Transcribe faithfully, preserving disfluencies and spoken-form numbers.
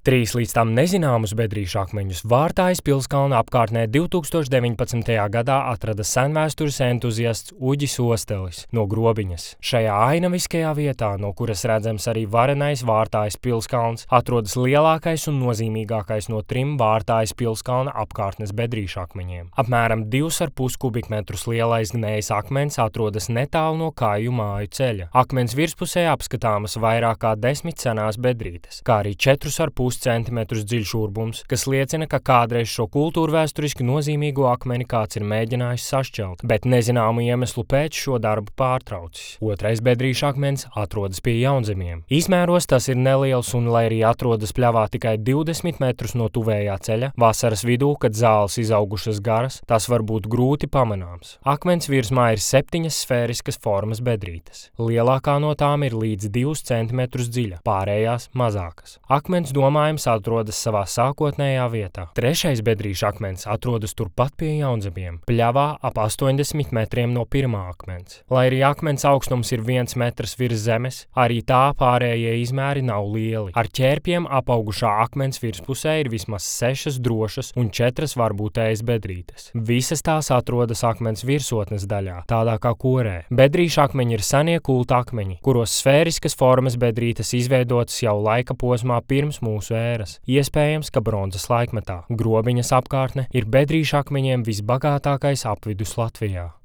Trīs līdz tam nezināmus bedrīšu akmeņus Vārtājas pilskalna apkārtnē divtūkstoš deviņpadsmitajā gadā atrada senvēstures entuziasts Uģis Ostelis no Grobiņas. Šajā ainaviskajā vietā, no kuras redzams arī varenais Vārtājas pilskalns, atrodas lielākais un nozīmīgākais no trim Vārtājas pilskalna apkārtnes bedrīšu akmeņiem. Apmēram divus ar pus kubikmetrus lielais gnējs akmens atrodas netālu no Kāju māju ceļa. Akmens virspusē apskatāmas vairāk kā desmit senās bedrītes, kā arī četrus ar pus centimetrus dziļš urbums, kas liecina, ka kādreiz šo kultūrvēsturiski nozīmīgo akmeni kāds ir mēģinājis sašķelt, bet nezināmu iemeslu pēc šo darbu pārtraucis. Otrais bedrīšu akmens atrodas pie Jaunzemiem. Izmēros tas ir neliels un, lai arī atrodas pļavā tikai divdesmit metrus no tuvējā ceļa, vasaras vidū, kad zāles izaugušas garas, tas var būt grūti pamanāms. Akmens virsmā ir septiņas sfēriskas formas bedrītes. Lielākā no tām ir līdz divus centimetrus dziļa, pārējās mazākas. Akmens domājams atrodas savā sākotnējā vietā. Trešais bedrīšu akmens atrodas turpat pie Jaunzemiem, pļavā ap astoņdesmit metriem no pirmā akmens. Lai arī akmens augstums ir viens metrs virs zemes, arī tā pārējie izmēri nav lieli. Ar ķērpiem apaugušā akmens virspusē ir vismaz sešas drošas un četras varbūtējas bedrītes. Visas tās atrodas akmens virsotnes daļā, tādā kā korē. Bedrīšu akmeņi ir senie kulta akmeņi, kuros sfēriskas formas bedrītes izveidotas jau laika posmā pirms mūsu ēras. Iespējams, ka bronzas laikmetā. Grobiņas apkārtne ir bedrīšu akmeņiem visbagātākais apvidus Latvijā.